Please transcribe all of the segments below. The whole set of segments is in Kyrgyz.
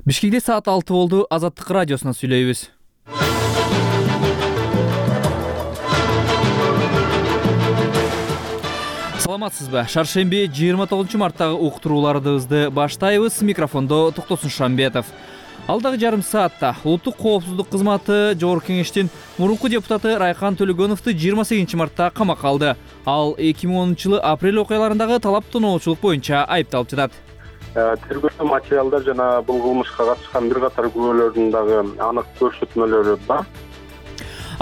Бишкекте саат 6 болду. Азаттык радиосунан сүйлөйбүз. Саламатсызбы? Шаршемби 29 марттагы уктурууларыбызды баштайбыз. Микрофондо Токтосун Шамбетов. Алдагы жарым саатта Улуттук коопсуздук кызматы Жогорку Кеңештин мурунку депутаты Райкан Төлөгөновду 28 мартта камакка алды. Ал 2010-жылы апрель окуяларындагы талап тоноочулук боюнча айыпталып жатат. Тергөө материалдар жана бул кылмышка катышкан бир катар күбөлөрдүн дагы анык көрсөтмөлөрү бар.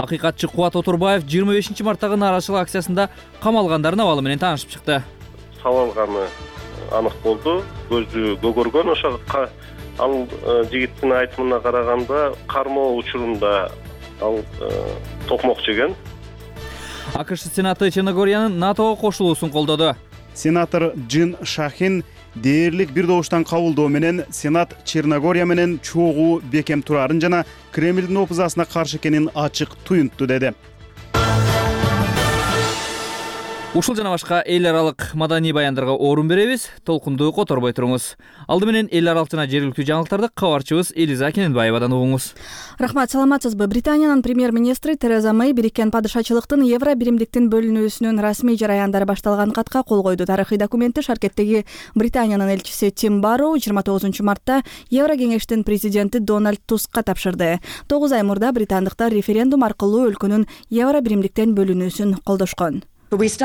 Акыйкатчы Кубат Отурбаев 25 марттагы нааразычылык акциясында камалгандардын абалы менен таанышып чыкты. Сабалганы анык болду. Көзү көгөргөн. Ошого ал жигиттин айтымына караганда кармоо учурунда ал токмок жеген. АКШ Сенаты Черногориянын НАТОго кошулуусун колдоду. Сенатор Джин Шахин дээрлик бир добуштан кабылдоо менен Сенат Черногория менен чогуу бекем турарын жана Кремлдин опузасына каршы экенин ачык туюнтту деди. Ушул жана башка эл аралык маданий баяндарга орун беребиз. Толкунду которбой туруңуз. Алды менен эл аралык жана жергиликтүү жаңылыктарды кабарчыбыз Элиза Кененбаевадан угуңуз. Рахмат, саламатсызбы? Британиянын премьер-министри Тереза Мэй Бириккен падышачылыктын евро биримдиктин бөлүнүүсүнүн расмий жараяндары башталган катка кол койду. Тарыхый документти Шаркеттеги Британиянын элчиси Тим Барроу 29 мартта Евро кеңештин президенти Дональд Тускка тапшырды. 9 ай мурда британдыктар референдум аркылуу өлкөнүн евро биримдиктен бөлүнүүсүн колдошкон. Биз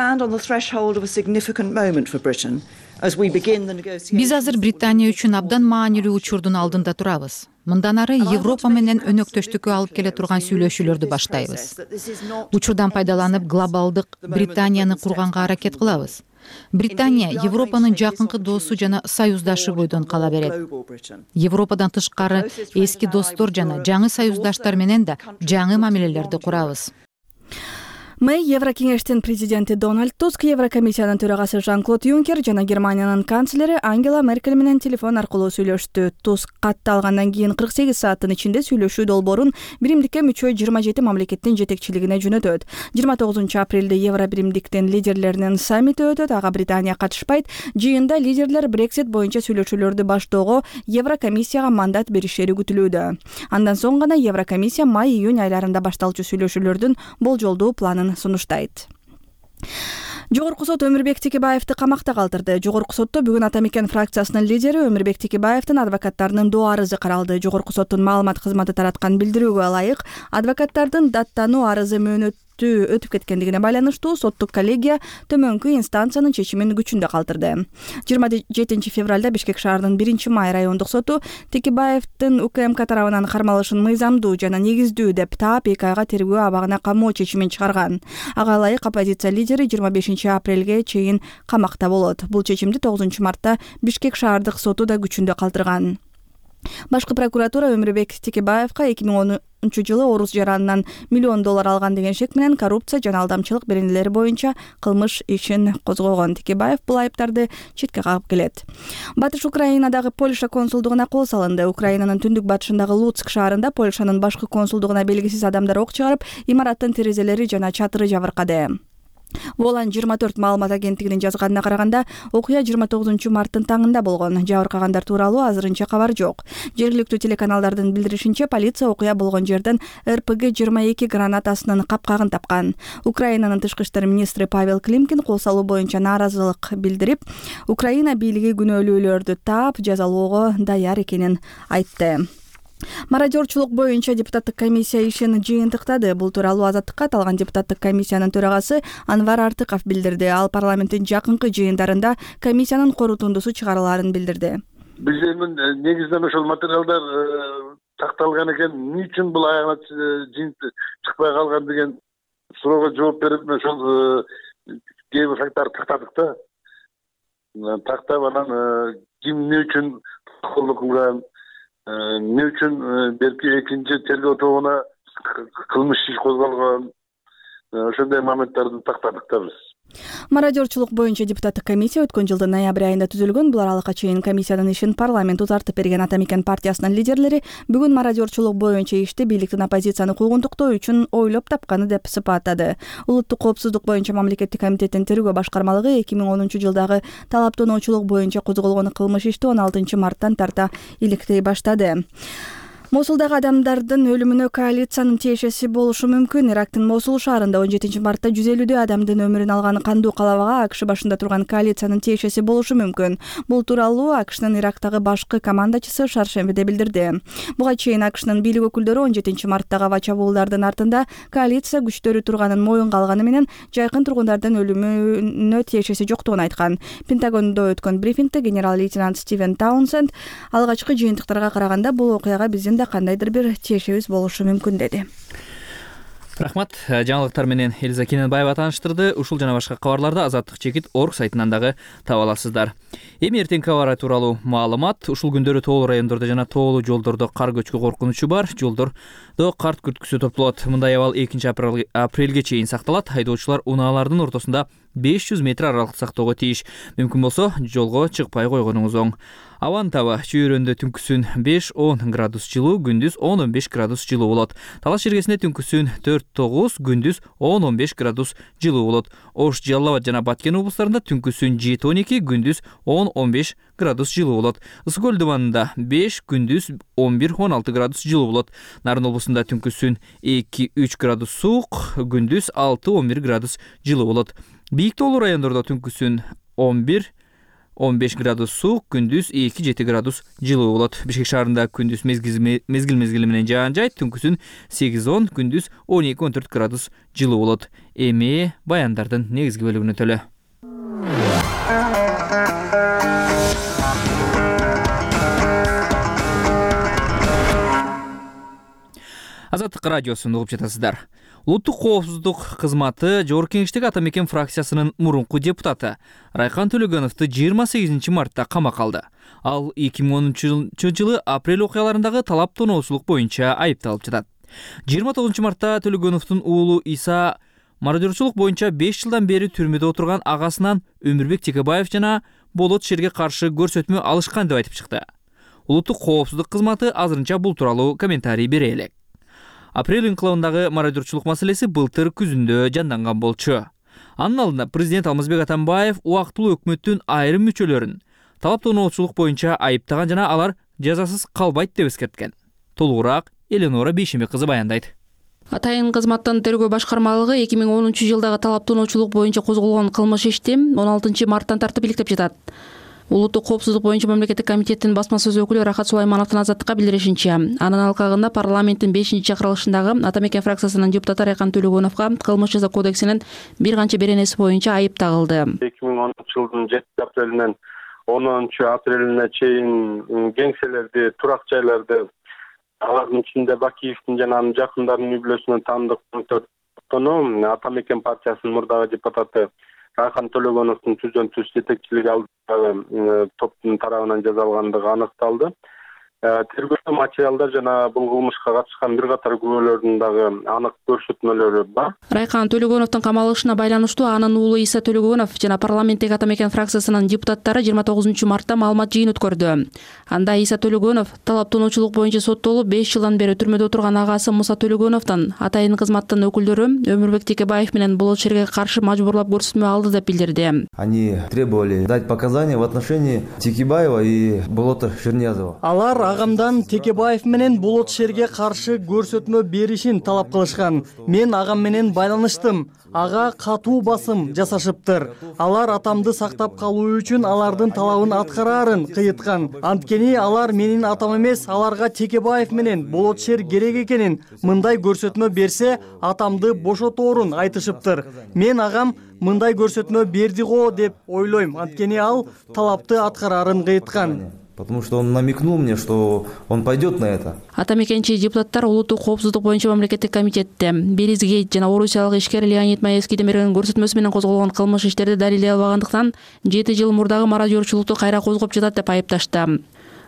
азыр Британия үчүн абдан маанилүү учурдун алдында турабыз. Мындан ары Европа менен өнөктөштүккө алып келе турган сүйлөшүүлөрдү баштайбыз. Учурдан пайдаланып глобалдык Британияны курганга аракет кылабыз. Британия Европанын жакынкы досу жана союздашы бойдон кала берет. Европадан тышкары эски достор жана жаңы союздаштар менен да жаңы мамилелерди курабыз. Мэй Евро кеңештин президенти Дональд Туск, Еврокомиссиянын төрагасы Жан-Клод Юнкер жана Германиянын канцлери Ангела Меркель менен телефон аркылуу сүйлөштү. Туск катты алгандан кийин 48 сааттын ичинде сүйлөшүү долбоорун биримдикке мүчө 27 мамлекеттин жетекчилигине жөнөтөт. 29 апрелде Евро биримдиктин лидерлеринин саммити өтөт. Ага Британия катышпайт. Жыйында лидерлер Брексит боюнча сүйлөшүүлөрдү баштоого Еврокомиссияга мандат беришери күтүлүүдө. Андан соң гана Еврокомиссия май-июнь айларында башталчу сүйлөшүүлөрдүн болжолдуу планын сунуштайт. Жогорку сот Өмүрбек Текебаевди камакта калтырды. Жогорку сотто бүгүн Ата Мекен фракциясынын лидери Өмүрбек Текебаевдин адвокаттарынын доо арызы каралды. Жогорку соттун маалымат кызматы тараткан билдирүүгө ылайык, адвокаттардын даттануу арызы мөөнөттүү өтүп кеткендигине байланыштуу соттук коллегия төмөнкү инстанциянын чечимин күчүндө калтырды. 27 февралда Бишкек шаарынын 1-Май райондук соту Текебаевдин УКМК тарабынан кармалышын мыйзамдуу жана негиздүү деп таап 2 айга тергөө абагына камоо чечимин чыгарган. Ага ылайык оппозиция лидери 25 апрелге чейин камакта болот. Бул чечимди 9 мартта Бишкек шаардык соту да күчүндө калтырган. Башкы прокуратура Өмүрбек Текебаевга 2010-жылы орус жаранынан $1 миллион алган деген шек менен коррупция жана алдамчылык беренелери боюнча кылмыш ишин козгогон. Текебаев бул айыптарды четке кагып келет. Батыш Украинадагы Польша консулдугуна кол салынды. Украинанын түндүк батышындагы Луцк шаарында Польшанын башкы консулдугуна белгисиз адамдар ок чыгарып, имараттын терезелери жана чатыры жабыркады. Волан 24 маалымат агенттигинин жазганына караганда, окуя 29 марттын таңында болгон. Жабыркагандар тууралуу азырынча кабар жок. Жергиликтүү телеканалдардын билдиришинче, полиция окуя болгон жерден РПГ-22 гранатасынын капкагын тапкан. Украинанын тышкы иштер министри Павел Климкин кол салуу боюнча нааразылык билдирип, Украина бийлиги күнөөлүүлөрдү таап, жазалоого даяр экенин айтты. Мародерчулук боюнча депутаттык комиссия ишин жыйынтыктады. Бул тууралуу Азаттыкка аталган депутаттык комиссиянын төрагасы Анвар Артыков билдирди. Ал парламенттин жакынкы жыйындарында комиссиянын корутундусу чыгарыларын билдирди. Биздин негизинен ошол материалдар такталган экен. Эмне үчүн бул аягына чыкпай калган деген суроого жооп берип, ошол кээ бир факттарды тактадык да. Тактап анан ким эмне үчүн колдук кылган, эмне үчүн белки экинчи тергөө тобуна кылмыш иш козголгон, ошондой моменттарды тактадык да биз. Мародерчулук боюнча депутаттык комиссия өткөн жылдын ноябрь айында түзүлгөн. Бул аралыкка чейин комиссиянын ишин парламент узартып берген Ата мекен партиясынын лидерлери бүгүн мародерчулук боюнча ишти бийликтин оппозицияны куугунтуктоо үчүн ойлоп тапканы деп сыпаттады. Улуттук коопсуздук боюнча мамлекеттик комитеттин тергөө башкармалыгы 2010 жылдагы талаптануучулук боюнча козголгон кылмыш ишти 16 марттан тарта иликтей баштады. Мосулдагы адамдардын өлүмүнө коалициянын тиешеси болушу мүмкүн. Ирактын Мосул шаарында 17 мартта 150 адамдын өмүрүн алган кандуу калабага АКШ башында турган коалициянын тиешеси болушу мүмкүн. Бул тууралуу АКШнын Ирактагы башкы командачысы шаршембиде билдирди. Буга чейин АКШнын бийлик өкүлдөрү 17 марттагы аба чабуулдардын артында коалиция күчтөрү турганын моюнга алганы менен жайкын тургундардын өлүмүнө тиешеси жоктугун айткан. Пентагондо өткөн брифингде генерал-лейтенант Стивен Таунсенд алгачкы жыйынтыктарга караганда бул окуяга биздин кандайдыр бир тиешебиз болушу мүмкүн деди. Рахмат. Жаңылыктар менен Элиза Кененбаева тааныштырды. Ушул жана башка кабарларды Азаттык чекит орг сайтынан дагы таба аласыздар. Эми эртеңки аба ырайы тууралуу маалымат. Ушул күндөрү тоолуу райондордо жана тоолуу жолдордо кар көчкү коркунучу бар. Жолдордо карт күрткүсү топтолот. Мындай абал 2 апрелге чейин сакталат. Айдоочулар унаалардын ортосунда 500 метр аралык сактоого тийиш. Мүмкүн болсо жолго чыкпай койгонуңуз оң. Абанын табы чүйөрөндө түнкүсүн 5-10 градус жылуу, күндүз 10-15 градус жылуу болот. Талаш жергесинде түнкүсүн 4-9, күндүз 10-15 градус жылуу болот. Ош, Жалал Абад жана Баткен облустарында түнкүсүн 7-12, күндүз 10-15 градус жылуу болот. Ысык көл дубанында 5, күндүз 11-16 градус жылуу болот. Нарын облусунда түнкүсүн 2-3 градус суук, күндүз 6-11 градус жылуу болот. Бийик тоолуу райондордо түнкүсүн 11-15 градус суук, күндүз 2-7 градус жылуу болот. Бишкек шаарында күндүз мезгил менен жаан жайт, түнкүсүн 8-10, күндүз 12-14 градус жылуу болот. Эми баяндардын негизги бөлүгүнө төлө. Азаттык радиосун угуп жатасыздар. Улуттук коопсуздук кызматы Жогорку Кеңештеги Ата мекен фракциясынын мурунку депутаты Райкан Төлөгөновду 28 мартта камакка алды. Ал 2010 жылы апрель окуяларындагы талаптануучулук боюнча айыпталып жатат. 29 мартта Төлөгөновдун уулу Иса мародерчулук боюнча 5 жылдан бери түрмөдө отурган агасынан Өмүрбек Текебаев жана Болот Шерге каршы көрсөтмө алышкан деп айтып чыкты. Улуттук коопсуздук кызматы азырынча бул тууралуу комментарий бере элек. Апрель инкылабындагы мародерчулук маселеси былтыр күзүндө жанданган болчу. Анын алдында президент Алмазбек Атамбаев убактылуу өкмөттүн айрым мүчөлөрүн талаптануучулук боюнча айыптаган жана алар жазасыз калбайт деп эскерткен. Толугураак Эленора Бейшембек кызы баяндайт. Атайын кызматтын тергөө башкармалыгы 2010 жылдагы талаптануучулук боюнча козголгон кылмыш ишти 16 марттан тартып иликтеп жатат. Улуттук коопсуздук боюнча мамлекеттик комитеттин басма сөз өкүлү Рахат Сулаймановдун Азаттыкка билдиришинче, анын алкагында парламенттин 5-чакырылышындагы Ата мекен фракциясынын депутаты Райкан Төлөгөновго кылмыш жаза кодексинин бир канча беренеси боюнча айып тагылды. 2010 жылдын 7 апрелинен 10 апрелине чейин кеңселерди, турак жайларды, алардын ичинде Бакиевдин жана анын жакындарынын үй бүлөсүнөн таандык Ата мекен партиясынын мурдагы депутаты Райкан Төлөгөновдун түздөн-түз жетекчилиги алдындагы топтун тарабынан жазалгандыгы аныкталды. Тергөө материалдар жана бул кылмышка катышкан бир катар күбөлөрдүн дагы анык көрсөтмөлөрү бар. Райкан Төлөгөновдун камалышына байланыштуу анын уулу Иса Төлөгөнов жана парламенттеги Ата мекен фракциясынын депутаттары 29 мартта маалымат жыйын өткөрдү. Анда Иса Төлөгөнов талаптануучулук боюнча соттолуп 5 жылдан бери түрмөдө отурган агасы Муса Төлөгөновдун атайын кызматтын өкүлдөрү Өмүрбек Текебаев менен Болот Шерге каршы мажбурлап көрсөтмө алды деп билдирди. Они требовали дать показания в отношении Текебаева и Болота Шерниязова. Алар агамдан Текебаев менен Болот Шерге каршы көрсөтмө беришин талап кылышкан. Мен агам менен байланыштым. Ага катуу басым жасашыптыр. Алар атамды сактап калуу үчүн алардын талабын аткараарын кыйыткан. Анткени алар менин атам эмес, аларга Текебаев менен Болот Шер керек экенин, мындай көрсөтмө берсе атамды бошоторун айтышыптыр. Мен агам мындай көрсөтмө берди го деп ойлойм. Анткени ал талапты аткараарын кыйыткан. Потому что он намекнул мне, что он пойдет на это. Ата мекенчи депутаттар улуттук коопсуздук боюнча мамлекеттик комитетте Беризгейт жана орусиялык ишкер Леонид Маевскийдин берген көрсөтмөсү менен козголгон кылмыш иштерди далилдей албагандыктан 7 жыл мурдагы мародерчулукту кайра козгоп жатат деп айыпташты.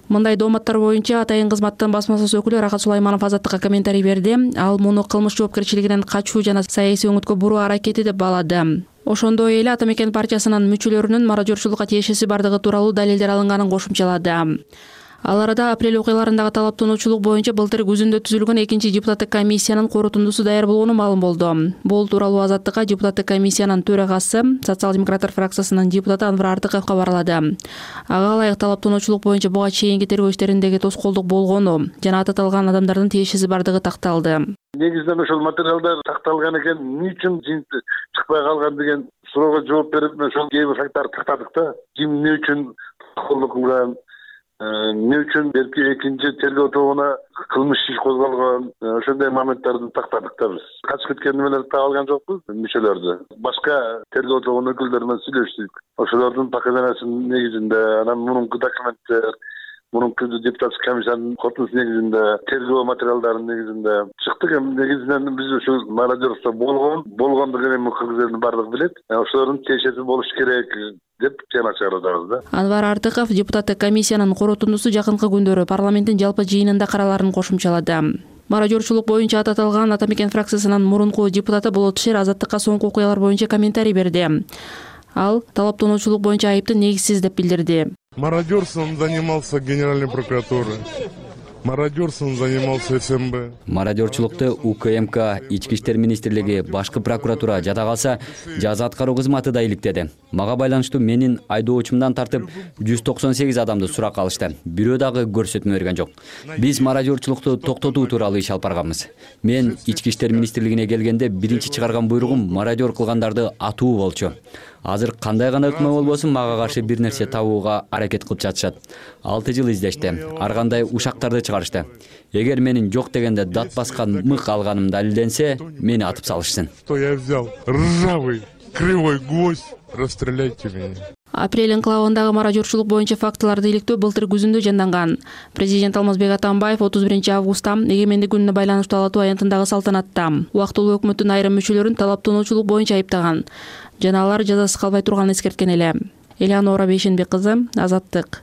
Мындай дооматтар боюнча атайын кызматтын басма сөз өкүлү Рахат Сулайманов Азаттыкка комментарий берди. Ал муну кылмыш жоопкерчилигинен качуу жана саясий өңүткө буруу аракети деп баалады. Ошондой эле Ата Мекен партиясынын мүчөлөрүнүн мародёрчулукка тиешеси бардыгы тууралуу далилдер алынганын кошумчалады. Ал арада апрель окуяларындагы талаптануучулук боюнча былтыр күзүндө түзүлгөн экинчи депутаттык комиссиянын корутундусу даяр болгону маалым болду. Бул тууралуу Азаттыкка депутаттык комиссиянын төрагасы, социал-демократтар фракциясынын депутаты Анвар Артыков кабарлады. Ага ылайык талаптануучулук боюнча буга чейинки тергөө иштериндеги тоскоолдук болгону жана аталган адамдардын тиешеси бардыгы такталды. Негизинен ошол материалдар такталган экен, эмне үчүн жинт чыкпай калган деген суроого жооп берип, ошол кээ бир факттарды тактадык да. Ким эмне үчүн колдук кылган, эмне үчүн белки экинчи тергөө тобуна кылмыш иш козголгон, ошондой моменттарды тактадык да биз. Качып кеткен эмелерди таап алган жокпуз, мүчөлөрдү. Башка тергөө тобунун өкүлдөрү менен сүйлөштүк. Ошолордун показаниясынын негизинде, анан мурунку документтер, мурунку депутаттык комиссиянын корутундусу негизинде, тергөө материалдарынын негизинде чыктык. Эми негизинен биз ушул мародёрство болгондугун эми кыргыз элинин баардыгы билет. Ошолордун тиешеси болуш керек деп жана чыгарабыз да. Анвар Артыков депутаттык комиссиянын корутундусу жакынкы күндөрү парламенттин жалпы жыйынында караларын кошумчалады. Мародёрчулук боюнча аталган Ата Мекен фракциясынын мурунку депутаты Болот Шер Азаттыкка соңку окуялар боюнча комментарий берди. Ал талаптануучулук боюнча айыпты негизсиз деп билдирди. Мародерством занимался Генеральной прокуратуры. Мародерством занимался СМБ. Мародерчулукту УКМК, Ички иштер министрлиги, башкы прокуратура жада калса, жаза аткаруу кызматы да иликтеди. Мага байланыштуу менин айдоочумдан тартып 198 адамды сурак алышты. Бирөө дагы көрсөтмө берген жок. Биз мародерчулукту токтотуу тууралуу иш алып барганбыз. Мен Ички иштер министрлигине келгенде биринчи чыгарган буйругум мародер кылгандарды атуу болчу. Азыр кандай гана өкмө болбосун мага каршы бир нерсе табууга аракет кылып жатышат. 6 жыл издешти. Ар кандай ушактарды чыгарышты. Эгер менин жок дегенде дат баскан мык алганым далилденсе, мени атып салышсын. Что я взял? Ржавый, кривой гвоздь. Расстреляйте меня. Апрель энклавындагы мародёрчулук боюнча фактыларды иликтөө былтыр күзүндө жанданган. Президент Алмазбек Атамбаев 31 августта эгемендик күнүнө байланыштуу Ала-Тоо аянтындагы салтанатта убактылуу өкмөттүн айрым мүчөлөрүн талаптануучулук боюнча айыптаган жана алар жазасыз калбай турганын эскерткен эле. Элеонора Бейшенбек кызы, Азаттык.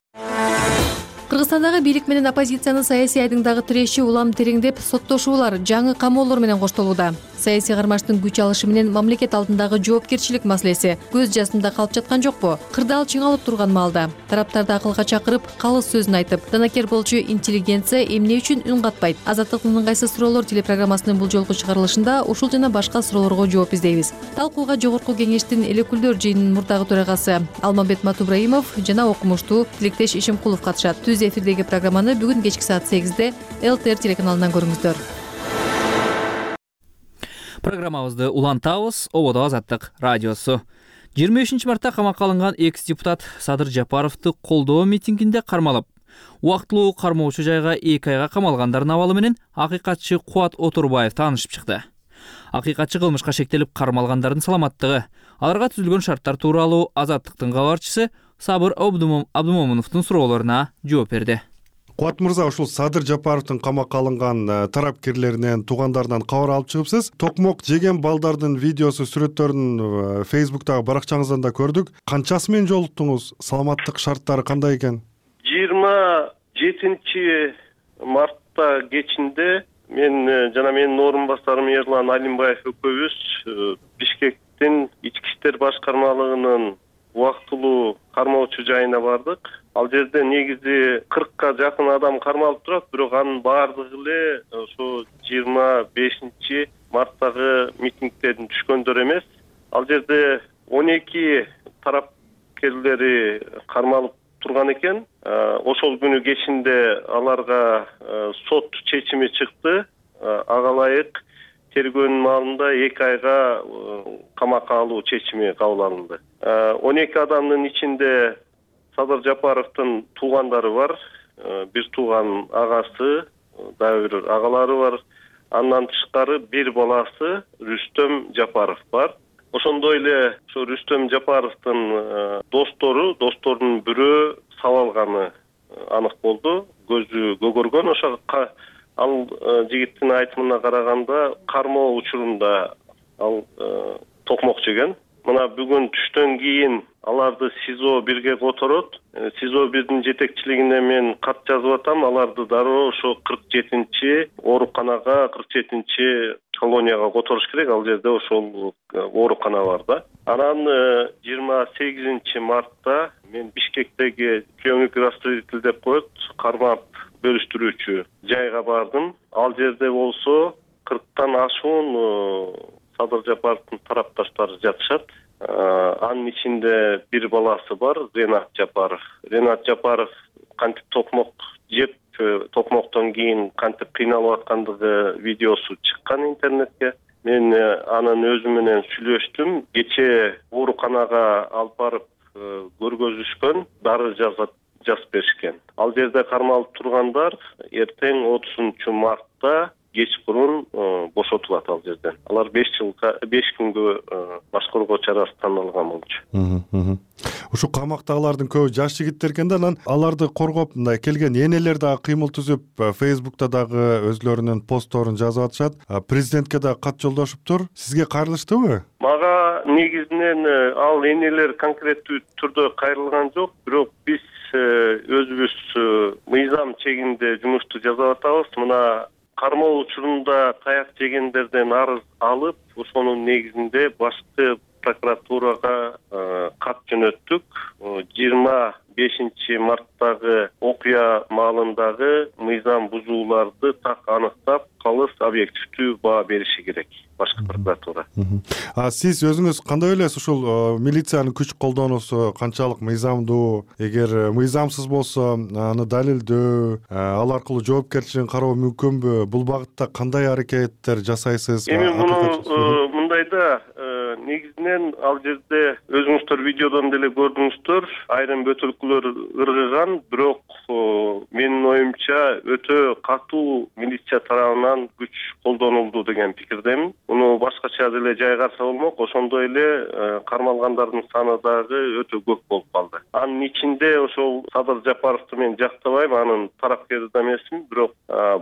Кыргызстандагы бийлик менен оппозициянын саясий айдыңдагы тиреши улам тереңдеп, соттошуулар жаңы камоолор менен коштолууда. Саясий кармаштын күч алышы менен мамлекет алдындагы жоопкерчилик маселеси көз жасында калып жаткан жокпу? Кырдаал чыңалып турган маалда тараптарды акылга чакырып, калыс сөзүн айтып, данакер болчу интеллигенция эмне үчүн үн катпайт? Азаттыктын ыңгайсыз суроолор телепрограммасынын бул жолку чыгарылышында ушул жана башка суроолорго жооп издейбиз. Талкууга Жогорку Кеңештин эл өкүлдөр жыйынынын мурдагы төрагасы Алмамбет Матубраимов жана окумуштуу Тилектеш Ишимкулов катышат. Түз эфирдеги программаны бүгүн кечки саат 8-де ЛТР телеканалынан көрүңүздөр. Программабызды улантабыз. Ободо Азаттык радиосу. 25 мартта камакка алынган экс-депутат Садыр Жапаровду колдоо митингинде кармалып, убактылуу кармоочу жайга 2 айга камалгандардын абалы менен акыйкатчы Кубат Отурбаев таанышып чыкты. Акыйкатчы кылмышка шектелип кармалгандардын саламаттыгы, аларга түзүлгөн шарттар тууралуу Азаттыктын кабарчысы Сабыр Абдумомуновдун суроолоруна жооп берди. Кубат мырза, ушул Садыр Жапаровдун камакка алынган тарапкерлеринен, туугандарынан кабар алып чыгыпсыз. Токмок жеген балдардын видеосу, сүрөттөрүн Facebook'тагы баракчаңыздан да көрдүк. Канчасы менен жолуктуңуз? Саламаттык шарттары кандай экен? 27 мартта кечинде мен жана менин орун басарым Эрлан Алимбаев экөөбүз Бишкектин Ички иштер башкармалыгынын убактылуу кармоочу жайына бардык. Ал жерде негизи 40ка жакын адам кармалып турат, бирок анын баардыгы эле ошо 25 марттагы митингден түшкөндөр эмес. Ал жерде 12 тарапкерлери кармалып турган экен. Ошол күнү кечинде аларга сот чечими чыкты. Ага ылайык тергөөнүн маалында 2 айга камакка алуу чечими кабыл алынды. 12 адамдын ичинде Садыр Жапаровдун туугандары бар, бир тууган агасы, дагы бир агалары бар. Андан тышкары бир баласы Рүстөм Жапаров бар. Ошондой эле ошо Рүстөм Жапаровдун досторунун бирөө сабалганы анык болду. Көзү көгөргөн. Ошо ал жигиттин айтымына караганда кармоо учурунда ал токмок жеген. Мына бүгүн түштөн кийин аларды СИЗО 1ге которот. СИЗО 1дин жетекчилигине мен кат жазып атам. Аларды дароо ошо 47-чи ооруканага, 47-чи колонияга которуш керек. Ал жерде ошол оорукана бар да. Анан 28 мартта мен Бишкектеги приемник распределитель деп коет, кармап бөлүштүрүүчү жайга бардым. Ал жерде болсо 40тан ашуун Садыр Жапаровдун тарапташтары жатышат. Анын ичинде бир баласы бар, Ренат Жапаров. Ренат Жапаров кантип токмок жеп, токмоктон кийин кантип кыйналып аткандыгы видеосу чыккан интернетке. Мен анын өзү менен сүйлөштүм. Кече ооруканага алып барып көргөзүшкөн, дары жазып беришкен. Ал жерде кармалып тургандар эртең 30 мартта кечкурун бошотулат ал жерден. Алар 5 күнгө баш коргоо чарасы танылган болчу. Ушу камактагылардын көбү жаш жигиттер экен да, анан аларды коргоп мындай келген энелер дагы кыймыл түзүп, Facebook'та дагы өзлөрүнүн постторун жазып атышат. Президентке да кат жолдошуптур. Сизге кайрылыштыбы? Мага негизинен ал энелер конкреттүү түрдө кайрылган жок, бирок биз өзүбүз мыйзам чегинде жумушту жасап атабыз. Мына кармоо учурунда таяк жегендерден арыз алып, ошонун негизинде башкы прокуратурага кат жөнөттүк. 25 марттагы окуя маалындагы мыйзам бузууларды так аныктап, калыс объективдүү баа бериши керек башкы прокуратура. Сиз өзүңүз кандай ойлойсуз, ушул милициянын күч колдонуусу канчалык мыйзамдуу? Эгер мыйзамсыз болсо, аны далилдөө, ал аркылуу жоопкерчилигин кароо мүмкүнбү? Бул багытта кандай аракеттер жасайсыз? Эми муну мындайда негизинен ал жерде өзүңүздөр видеодон деле көрдүңүздөр, айрым бөтөлкөлөр ыргыган, бирок менин оюмча өтө катуу милиция тарабынан күч колдонулду деген пикирдемин. Муну башкача деле жайгарса болмок, ошондой эле кармалгандардын саны дагы өтө көп болуп калды. Анын ичинде ошол Садыр Жапаровду мен жактабайм, анын тарапкери да эмесмин, бирок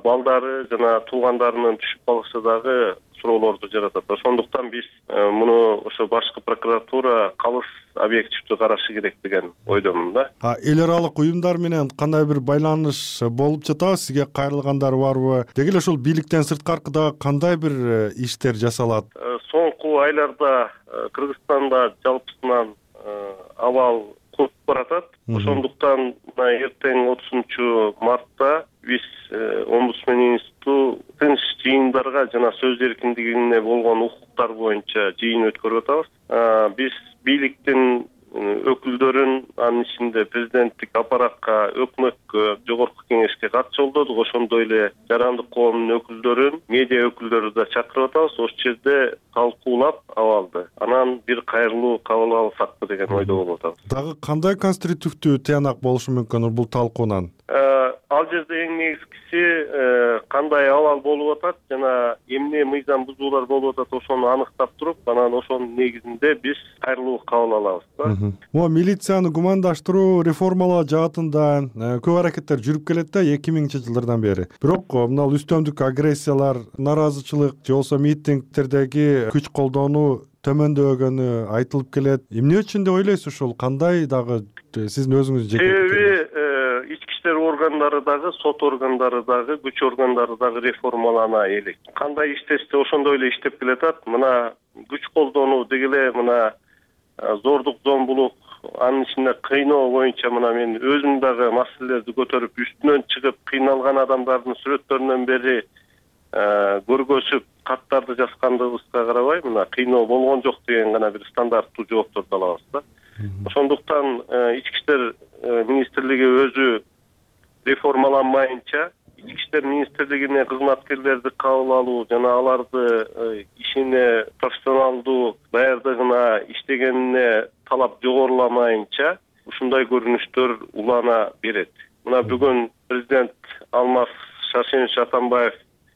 балдары жана туугандарынын түшүп калышы дагы суроолорду жаратат. Ошондуктан биз муну ошо башкы прокуратура калыс объективдүү карашы керек деген ойдомун да. Эл аралык уюмдар менен кандай бир байланыш болуп жатабы? Сизге кайрылгандар барбы? Деги эле ошол бийликтен сырткаркы дагы кандай бир иштер жасалат? Соңку айларда Кыргызстанда жалпысынан абал курп баратат. Ошондуктан эртең 30 мартта биз омбудсмен институту тынч жыйындарга жана сөз эркиндигине болгон укуктар боюнча жыйын өткөрүп атабыз. Биз бийликтин өкүлдөрүн, анын ичинде президенттик аппаратка, өкмөткө, жогорку кеңешке кат жолдодук. Ошондой эле жарандык коомдун өкүлдөрүн, медиа өкүлдөрү да чакырып атабыз. Ошол жерде талкуулап абалды. Анан бир кайрылуу кабыл алсакпы деген ойдо болуп атабыз. Дагы кандай конструктивдүү тыянак болушу мүмкүн бул талкуунан? Ал жерде эң негизгиси кандай абал болуп атат жана эмне мыйзам бузуулар болуп атат, ошону аныктап туруп, анан ошонун негизинде биз кайрылуу кабыл алабыз да. Могу милицияны гумандаштыруу, реформалоо жаатында көп аракеттер жүрүп келет да 2000-жылдардан бери. Бирок мына үстөмдүк агрессиялар, наразычылык же болбосо митингтердеги күч колдонуу төмөндөгөнү айтылып келет. Эмне үчүн деп ойлойсуз ушул? Кандай дагы сиздин өзүңүз себеби ички иштер органдары дагы, сот органдары дагы, күч органдары дагы реформалана элек. Кандай иштешсе ошондой эле иштеп келатат. Мына күч колдонуу деги эле мына зордук, зомбулук, анын ичинде кыйноо боюнча мына мен өзүм дагы маселелерди көтөрүп, үстүнөн чыгып кыйналган адамдардын сүрөттөрүнөн бери көргөзүп, каттарды жазгандыгыбызга карабай, мына кыйноо болгон жок деген гана бир стандарттуу жоопторду алабыз да. Ошондуктан ички иштер министрлиги өзү реформаланмайынча, ички иштер министрлигине кызматкерлерди кабыл алуу жана аларды ишине профессионалдуу даярдыгына, иштегенине талап жогоруламайынча ушундай көрүнүштөр улана берет. Мына бүгүн президент Алмаз Шаршенович Атамбаев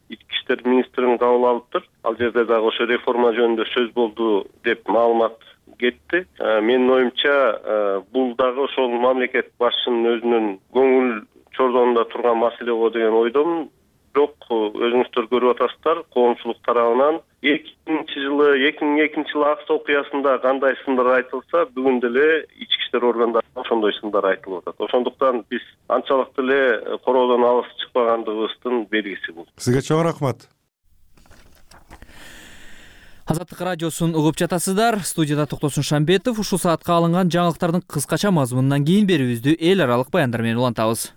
ички иштер министрин кабыл алыптыр. Ал жерде дагы ошо реформа жөнүндө сөз болду деп маалымат кетти. Менин оюмча бул дагы ошол мамлекет башчынын өзүнүн көңүл чордонунда турган маселе го деген ойдомун. Бирок өзүңүздөр көрүп атасыздар, коомчулук тарабынан 2002 жылы Акс окуясында кандай сындар айтылса, бүгүн деле ички иштер органдарында ошондой сындар айтылып атат. Ошондуктан биз анчалык деле короодон алыс чыкпагандыгыбыздын белгиси бул. Сизге чоң рахмат. Азаттык радиосун угуп жатасыздар. Студияда Токтосун Шамбетов. Ушул саатка алынган жаңылыктардын кыскача мазмунунан кийин берүүбүздү эл аралык баяндар менен улантабыз.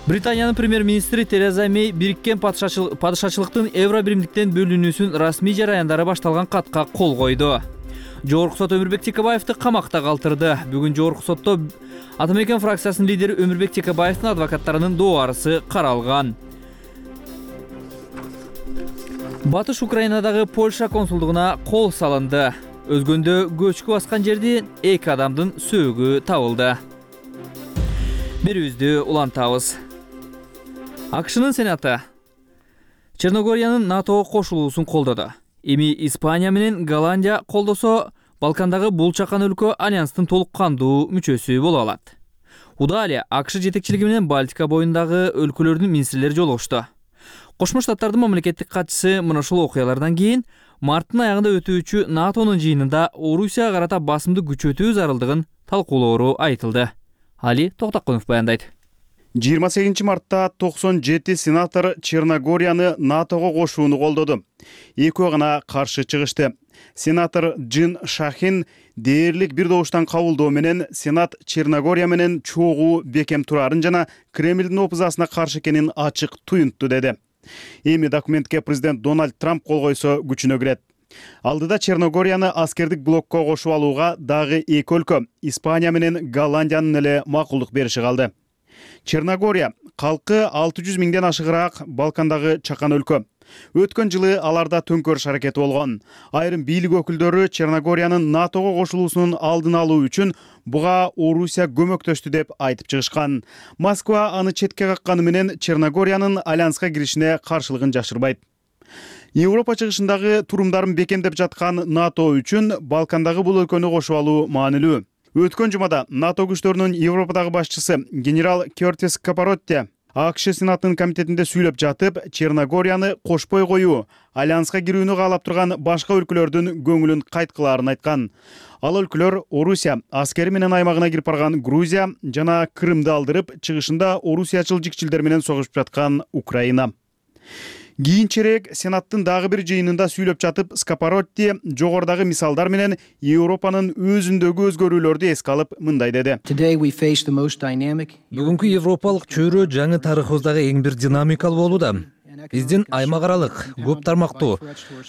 Британиянын премьер-министри Тереза Мэй бириккен падышачылыктын евро биримдиктен бөлүнүүсүн расмий жараяндары башталган катка кол койду. Жогорку сот Өмүрбек Текебаевди камакта калтырды. Бүгүн жогорку сотто Атамекен фракциясынын лидери Өмүрбек Текебаевдин адвокаттарынын доорасы каралган. Батыш Украинадагы Польша консулдугуна кол салынды. Өзгөндө көчкү баскан жерде 2 адамдын сөөгү табылды. Берүүбүздү улантабыз. АКШнын Сенаты Черногориянын НАТОго кошулуусун колдоду. Эми Испания менен Голландия колдосо, Балкандагы бул чакан өлкө альянстын толук кандуу мүчөсү боло алат. Удалия АКШ жетекчилиги менен Балтика боюндагы өлкөлөрдүн министрлери жолугушту. Кошмо Штаттардын мамлекеттик катчысы мына ушул окуялардан кийин марттын аягында өтүүчү НАТОнун жыйынында Орусияга карата басымды күчөтүү зарылдыгын талкуулоору айтылды. Али Токтакунов баяндайт. 28 мартта 97 сенатор Черногорияны НАТОго кошууну колдоду. Экөө гана каршы чыгышты. Сенатор Джин Шахин дээрлик бир добуштан кабылдоо менен Сенат Черногория менен чогуу бекем турарын жана Кремлдин опузасына каршы экенин ачык туюнтту деди. Эми документке президент Дональд Трамп кол койсо күчүнө кирет. Алдыда Черногорияны аскердик блокко кошуп алууга дагы 2 өлкө Испания менен Голландиянын эле макулдук бериши калды. Черногория калкы 600 миңден ашыгыраак Балкандагы чакан өлкө. Өткөн жылы аларда төңкөрүш аракети болгон. Айрым бийлик өкүлдөрү Черногориянын НАТОго кошулуусунун алдын алуу үчүн буга Орусия көмөктөштү деп айтып чыгышкан. Москва аны четке какканы менен Черногориянын альянска киришине каршылыгын жашырбайт. Европа чыгышындагы турумдарын бекемдеп жаткан НАТО үчүн Балкандагы бул өлкөнү кошуп алуу маанилүү. Өткөн жумада НАТО күчтөрүнүн Европадагы башчысы генерал Кертис Капаротти АКШ Сенатынын комитетинде сүйлөп жатып, Черногорияны кошпой коюу альянска кирүүнү каалап турган башка өлкөлөрдүн көңүлүн кайткылаарын айткан. Ал өлкөлөр Орусия аскери менен аймагына кирип барган Грузия жана Крымды алдырып, чыгышында орусиячыл жикчилдер менен согушуп жаткан Украина. Кийинчерээк Сенаттын дагы бир жыйынында сүйлөп жатып, Скапаротти жогорудагы мисалдар менен Европанын өзүндөгү өзгөрүүлөрдү эске алып мындай деди. Бүгүнкү европалык чөйрө жаңы тарыхыбыздагы эң бир динамикалуу болууда. Биздин аймак аралык, көп тармактуу,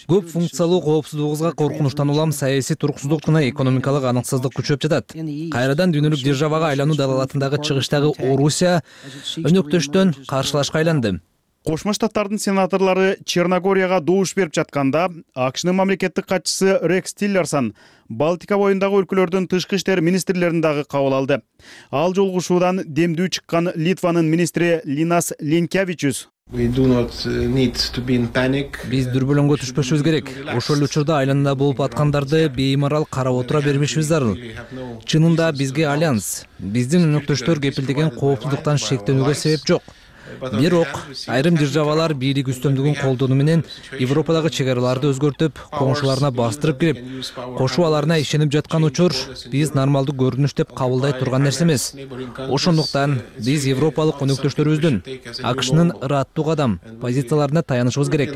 көп функциялуу коопсуздугубузга коркунучтан улам саясий туруксуздук жана экономикалык аныксыздык күчөп жатат. Кайрадан дүйнөлүк державага айлануу далалатындагы чыгыштагы Орусия өнөктөштөн каршылашка айланды. Кошмо Штаттардын сенаторлору Черногорияга добуш берип жатканда, АКШнын мамлекеттик катчысы Рекс Тиллерсон Балтика боюндагы өлкөлөрдүн тышкы иштер министрлерин дагы кабыл алды. Ал жолугушуудан демдүү чыккан Литванын министри Линас Линкевичус Биз дүрбөлөңгө түшпөшүбүз керек. Ошол учурда айланында болуп аткандарды беймарал карап отура бербешибиз зарыл. Чынында бизге альянс, биздин өнөктөштөр кепилдеген коопсуздуктан шектенүүгө себеп жок. Бирок айрым державалар бийлик үстөмдүгүн колдонуу менен Европадагы чек араларды өзгөртүп, коңшуларына бастырып кирип, кошубаларына ишенип жаткан учур биз нормалдуу көрүнүш деп кабылдай турган нерсе эмес. Ошондуктан биз европалык өнөктөштөрүбүздүн АКШнын ыраттуу кадам позицияларына таянышыбыз керек,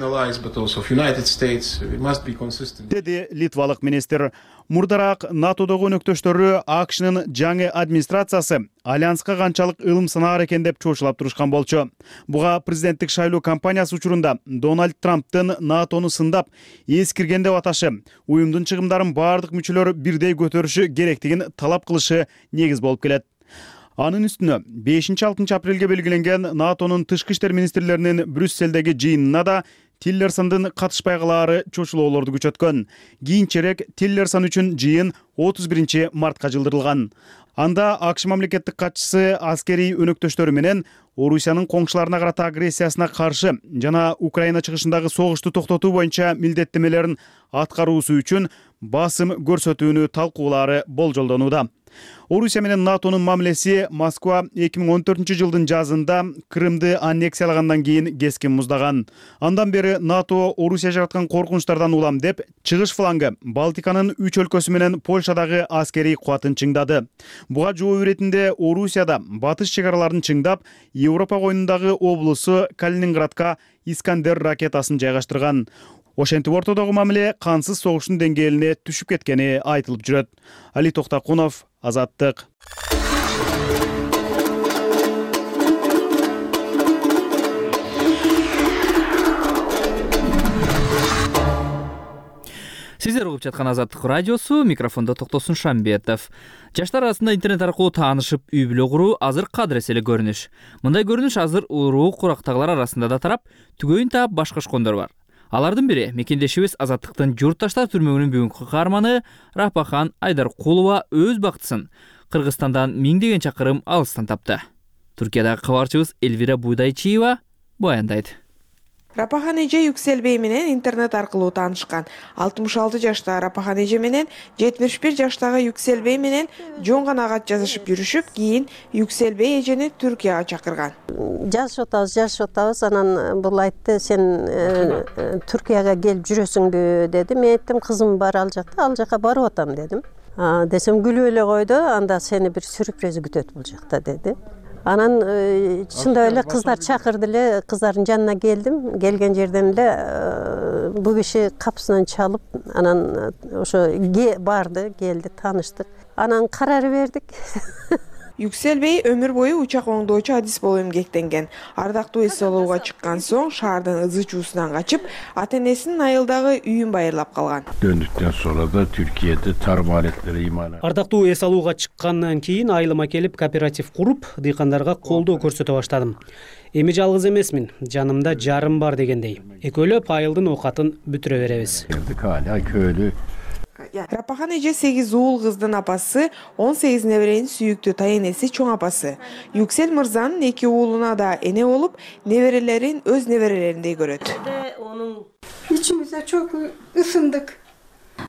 деди литвалык министр. Мурдараак НАТОдогу өнөктөштөрү АКШнын жаңы администрациясы альянска канчалык ылым санаар экен деп чоочулап турушкан болчу. Буга президенттик шайлоо кампаниясы учурунда Дональд Трамптын НАТОну сындап, эскирген деп аташы, уюмдун чыгымдарын бардык мүчөлөр бирдей көтөрүшү керектигин талап кылышы негиз болуп келет. Анын үстүнө 5-6 апрелге белгиленген НАТОнун тышкы иштер министрлеринин Брюсселдеги жыйынына да Тиллерсондун катышпай калаары чочулоолорду күчөткөн. Кийинчерээк Тиллерсон үчүн жыйын 31 мартка жылдырылган. Анда АКШ мамлекеттик катчысы аскерий өнөктөштөрү менен Орусиянын коңшуларына карата агрессиясына каршы жана Украина чыгышындагы согушту токтотуу боюнча милдеттемелерин аткаруусу үчүн басым көрсөтүүнү талкуулаары болжолдонууда. Орусия менен НАТОнун мамилеси Москва 2014-жылдын жазында Крымды аннексиялагандан кийин кескин муздаган. Андан бери НАТО Орусия жараткан коркунучтардан улам деп чыгыш флангы Балтиканын 3 өлкөсү менен Польшадагы аскерий кубатын чыңдады. Буга жооп иретинде Орусияда батыш чек араларын чыңдап, Европа коюнундагы облусу Калининградка Искандер ракетасын жайгаштырган. Ошентип ортодогу мамиле кансыз согуштун деңгээлине түшүп кеткени айтылып жүрөт. Али Токтакунов, Азаттык. Сиздер угуп жаткан Азаттык радиосу, микрофондо Токтосун Шамбетов. Жаштар арасында интернет аркылуу таанышып, үй бүлө куруу азыр кадырес эле көрүнүш. Мындай көрүнүш азыр уруу курактагылар арасында да тарап, түгөйүн таап башкашкондор бар. Алардын бири мекендешибиз Азаттыктын журтташтар түрмөгүнүн бүгүнкү каарманы Рапахан Айдаркулова өз бактысын Кыргызстандан миңдеген чакырым алыстан тапты. Түркиядагы кабарчыбыз Элвира Буйдайчиева баяндайт. Рапахан эже Юкселбей менен интернет аркылуу таанышкан. 66 жаштагы Рапахан эже менен 71 жаштагы Юкселбей менен жоңгон агат жазышып жүрүшүп, кийин Юкселбей эжени Түркияга чакырган. Жазышып атабыз, анан бул айтты, сен Түркияга келип жүрөсүңбү деди. Мен айттым, кызым бар ал жака барып атам дедим. Десем күлүп эле койду, анда сени бир сюрприз күтөт бул жакта деди. Анан чындап эле кыздар чакырды эле, кыздардын жанына келдим. Келген жерден эле бул киши капысынан чалып, анан ошо барды, келди, тааныштык. Анан карар бердик. Юкселбей өмүр бою учак оңдоочу адис болуп эмгектенген. Ардактуу эс алууга чыккан соң шаардын ызы чуусунан качып, ата-энесинин айылдагы үйүн байырлап калган. Döndükten sonra da Türkiye'de tarım aletleri imalat. Ардактуу эс алууга чыккандан кийин айылыма келип кооператив куруп, дыйкандарга колдоо көрсөтө баштадым. Эми жалгыз эмесмин, жанымда жарым бар дегендей. Экөөлөп айылдын оокатын бүтүрө беребиз. Hala köylü. Рапахан эже 8 уул кыздын апасы, 18 неберенин сүйүктүү тайенеси чоң апасы. Юксел мырзанын 2 уулуна да эне болуп, неберелерин өз неберелериндей көрөт. Ичимизде чок ысындык.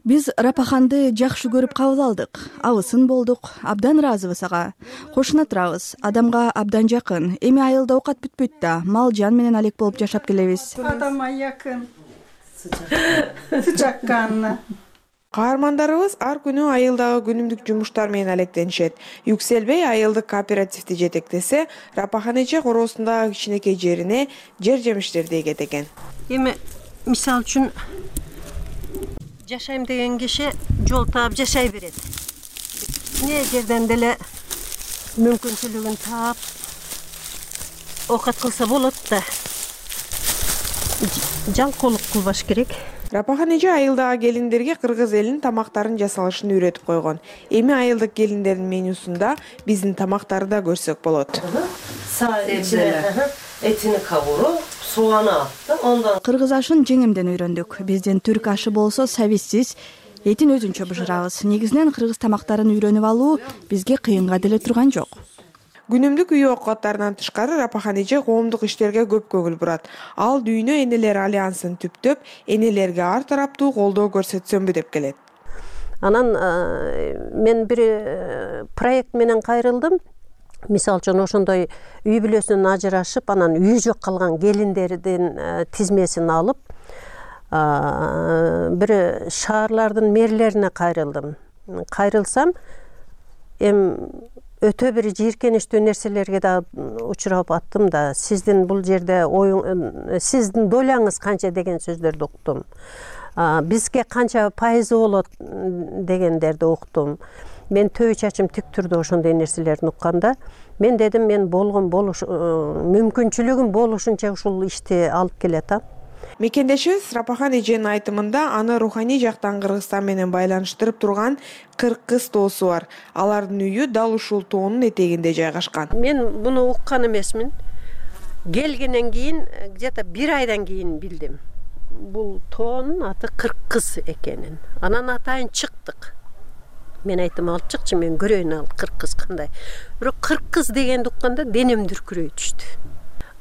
Биз Рапаханды жакшы көрүп кабыл алдык. Абысын болдук, абдан ыраазыбыз ага. Кошуна турабыз, адамга абдан жакын. Эми айылда оокат бүтпөйт да, мал жан менен алек болуп жашап келебиз. Адамга жакын. Сычак канына. Каармандарыбыз ар күнү айылдагы күнүмдүк жумуштар менен алектенишет. Юкселбей айылдык кооперативди жетектесе, Рапахан эже короосундагы кичинекей жерине жер жемиштерди эгет экен. Эми мисал үчүн жашайм деген киши жол таап жашай берет. Не жерден деле мүмкүнчүлүгүн таап оокат кылса болот да. Жалкоолук кылбаш керек. Рапахан эже айылдагы келиндерге кыргыз элинин тамактарын жасалышын үйрөтүп койгон. Эми айылдык келиндердин менюсунда биздин тамактарды да көрсөк болот. Этини кабуруп, суаны аттым, ондан Кыргыз ашын жеңимден үйрөндүк. Биздин түрк ашы болсо сабизсиз, этин өзүнчө бышырабыз. Негизинен кыргыз тамактарын үйрөнүп алуу бизге кыйынга деле турган жок. Күнүмдүк үй оокаттарынан тышкары Рапахан эже коомдук иштерге көп көңүл бурат. Ал Дүйнө энелер альянсын түптөп, энелерге ар тараптуу колдоо көрсөтсөмбү деп келет. Анан мен бир проект менен кайрылдым. Мисал үчүн ошондой үй бүлөсүнөн ажырашып, анан үй жок калган келиндердин тизмесин алып, бир шаарлардын мэрлерине кайрылдым. Кайрылсам, өтө бир жийиркеничтүү нерселерге да учурап аттым да, сиздин бул жерде сиздин доляңыз канча деген сөздөрдү уктум. Бизге канча пайызы болот дегендерди уктум. Мен төбө чачым тик турду ошондой нерселерди укканда, мен дедим, мен мүмкүнчүлүгүм болушунча ушул ишти алып келатам. Мекендешибиз Рапахан эженин айтымында аны руханий жактан Кыргызстан менен байланыштырып турган 40 кыз тоосу бар. Алардын үйү дал ушул тоонун этегинде жайгашкан. Мен буну уккан эмесмин. Келгенден кийин, где-то 1 айдан кийин билдим. Бул тоонун аты 40 кыз экенин. Анан атайын чыктык. Мен айттым, алып чыкчы, мен көрөйүн ал 40 кыз кандай. Бирок 40 кыз дегенди укканда денем дүркүрөй түштү.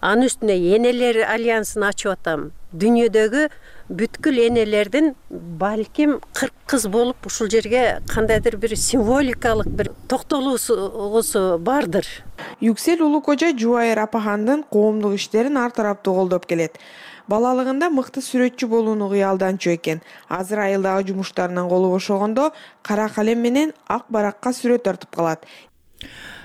анын үстүнө энелер альянсын ачып атам. Дүйнөдөгү бүткүл энелердин балким 40 кыз болуп ушул жерге кандайдыр бир символикалык бир токтолуусу бардыр. Юксел Улукожа Жубайыр Апахандын коомдук иштерин ар тараптуу колдоп келет. Балалыгында мыкты сүрөтчү болууну кыялданчу экен. Азыр айылдагы жумуштарынан колу бошогондо кара калем менен ак баракка сүрөт тартып калат.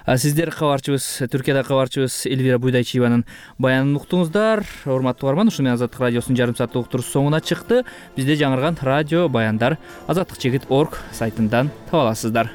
Сиздер кабарчыбыз, Түркияда кабарчыбыз Элвира Буйдайчиеванын баянын уктуңуздар. Урматтуу угарман, ушуну менен Азаттык радиосунун жарым сааттык уктуруусу соңуна чыкты. Бизде жаңырган радио баяндар azattikchigit.org сайтынан таба аласыздар.